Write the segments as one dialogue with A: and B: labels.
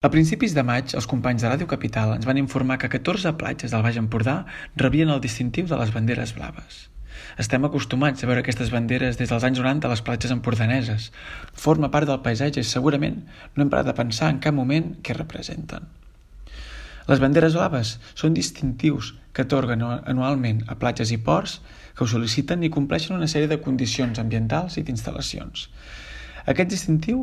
A: A principis de maig, els companys de Ràdio Capital ens van informar que 14 platges del Baix Empordà rebien el distintiu de les banderes blaves. Estem acostumats a veure aquestes banderes des dels anys 90 a les platges empordaneses. Forma part del paisatge i segurament no hem parat a pensar en cap moment què representen. Les banderes blaves són distintius que atorguen anualment a platges i ports que ho sol·liciten i compleixen una sèrie de condicions ambientals i d'instal·lacions. Aquest distintiu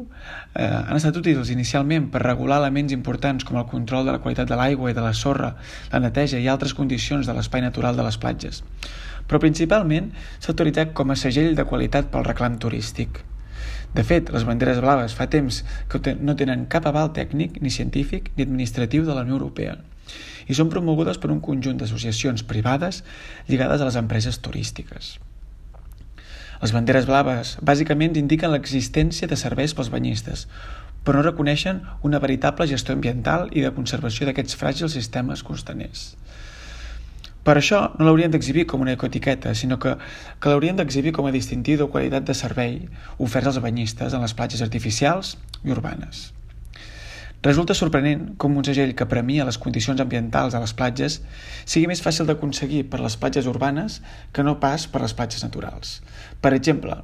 A: han estat útils inicialment per regular elements importants com el control de la qualitat de l'aigua i de la sorra, la neteja i altres condicions de l'espai natural de les platges, però principalment s'ha utilitzat com a segell de qualitat pel reclam turístic. De fet, les banderes blaves fa temps que no tenen cap aval tècnic, ni científic, ni administratiu de la Unió Europea i són promogudes per un conjunt d'associacions privades lligades a les empreses turístiques. Les banderes blaves bàsicament indiquen l'existència de serveis pels banyistes, però no reconeixen una veritable gestió ambiental i de conservació d'aquests fràgils sistemes costaners. Per això no l'haurien d'exhibir com una ecoetiqueta, sinó que l'haurien d'exhibir com a distintiu de qualitat de servei oferts als banyistes en les platges artificials i urbanes. Resulta sorprenent com un segell que premia les condicions ambientals a les platges sigui més fàcil d'aconseguir per les platges urbanes que no pas per les platges naturals. Per exemple,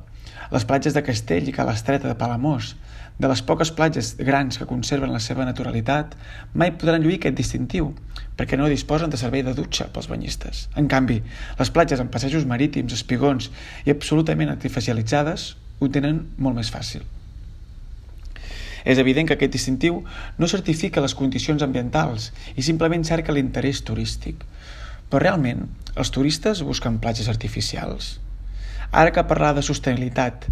A: les platges de Castell i Cala Estreta de Palamós, de les poques platges grans que conserven la seva naturalitat, mai podran lluir aquest distintiu, perquè no disposen de servei de dutxa pels banyistes. En canvi, les platges amb passejos marítims, espigons i absolutament artificialitzades ho tenen molt més fàcil. És evident que aquest distintiu no certifica les condicions ambientals i simplement cerca l'interès turístic. Però realment, els turistes busquen platges artificials? Ara que parlar de sostenibilitat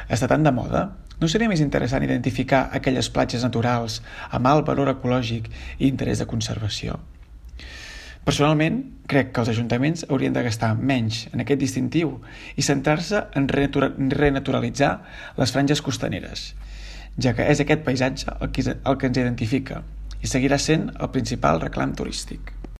A: està tan de moda, no seria més interessant identificar aquelles platges naturals amb alt valor ecològic i interès de conservació? Personalment, crec que els ajuntaments haurien de gastar menys en aquest distintiu i centrar-se en renaturalitzar les franges costaneres, ja que és aquest paisatge el que ens identifica i seguirà sent el principal reclam turístic.